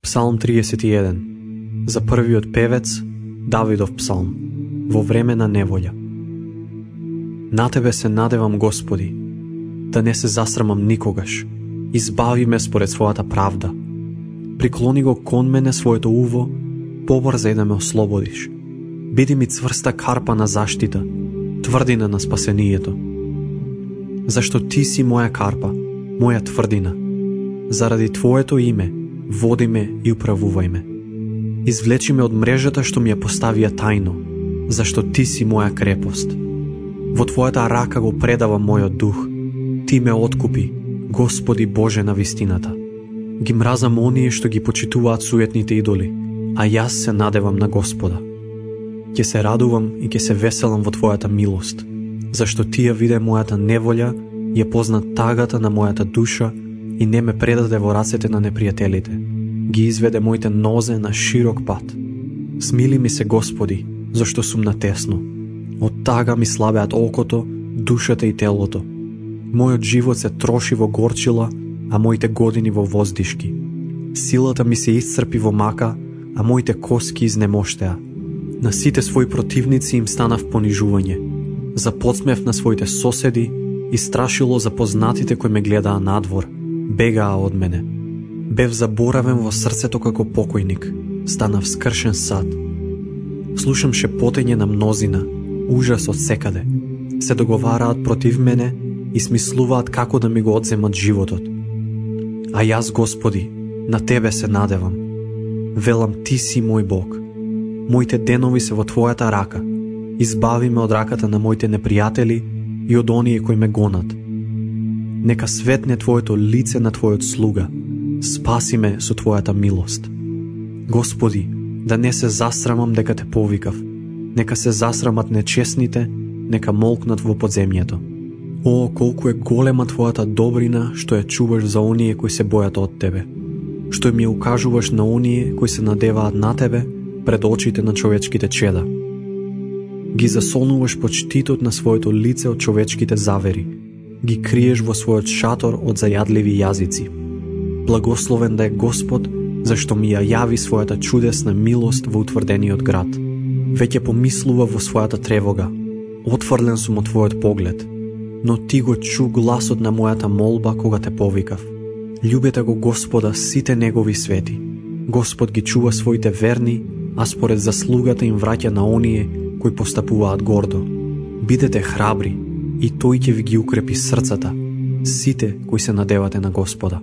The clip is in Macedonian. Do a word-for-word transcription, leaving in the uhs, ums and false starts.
Псалм триесет и еден. За првиот певец, Давидов псалм, во време на неволја. На Тебе се надевам, Господи, да не се засрамам никогаш. Избави ме според својата правда. Приклони го кон мене своето уво, побрзај да ме ослободиш. Биди ми цврста карпа на заштита, тврдина на спасението. Зашто Ти си моја карпа, моја тврдина. Заради Твоето име, води ме и управувај ме. Извлечи ме од мрежата што ми ја поставија тајно, зашто Ти си моја крепост. Во Твојата рака го предавам мојот дух. Ти ме откупи, Господи Боже на вистината. Ги мразам оние што ги почитуваат суетните идоли, а јас се надевам на Господа. Ќе се радувам и ќе се веселам во Твојата милост, зашто Ти ја виде мојата неволја, ја позна тагата на мојата душа и не ме предаде во рацете на непријателите. Ги изведе моите нозе на широк пат. Смили ми се, Господи, зашто сум натесно. Од тага ми слабеат окото, душата и телото. Мојот живот се троши во горчила, а моите години во воздишки. Силата ми се исцрпи во мака, а моите коски изнемоштеа. На сите своји противници им станав понижување. За подсмев на своите соседи и страшило за познатите кои ме гледаа надвор, бегаа од мене. Бев заборавен во срцето како покојник, станав скршен сад. Слушам шепотење на мнозина, ужас од секаде. Се договараат против мене и смислуваат како да ми го одземат животот. А јас, Господи, на Тебе се надевам. Велам, Ти си мој Бог. Моите денови се во Твојата рака. Избави ме од раката на моите непријатели и од оние кои ме гонат. Нека светне Твоето лице на Твојот слуга. Спаси ме со Твојата милост. Господи, да не се засрамам дека Те повикав. Нека се засрамат нечесните, нека молкнат во подземјето. О, колку е голема Твојата добрина што ја чуваш за оние кои се бојат од Тебе. Што им ја укажуваш на оние кои се надеваат на Тебе пред очите на човечките чеда. Ги засолнуваш под штитот на своето лице од човечките завери. Ги криеш во својот шатор од зајадливи јазици. Благословен да е Господ, зашто ми ја јави својата чудесна милост во утврдениот град. Веќе помислува во својата тревога. Отфрлен сум од Твојот поглед, но Ти го чу гласот на мојата молба кога Те повикав. Љубете го Господа сите Негови свети. Господ ги чува своите верни, а според заслугата им враќа на оние кои постапуваат гордо. Бидете храбри, и Тој ќе ви ги укрепи срцата, сите кои се надевате на Господа.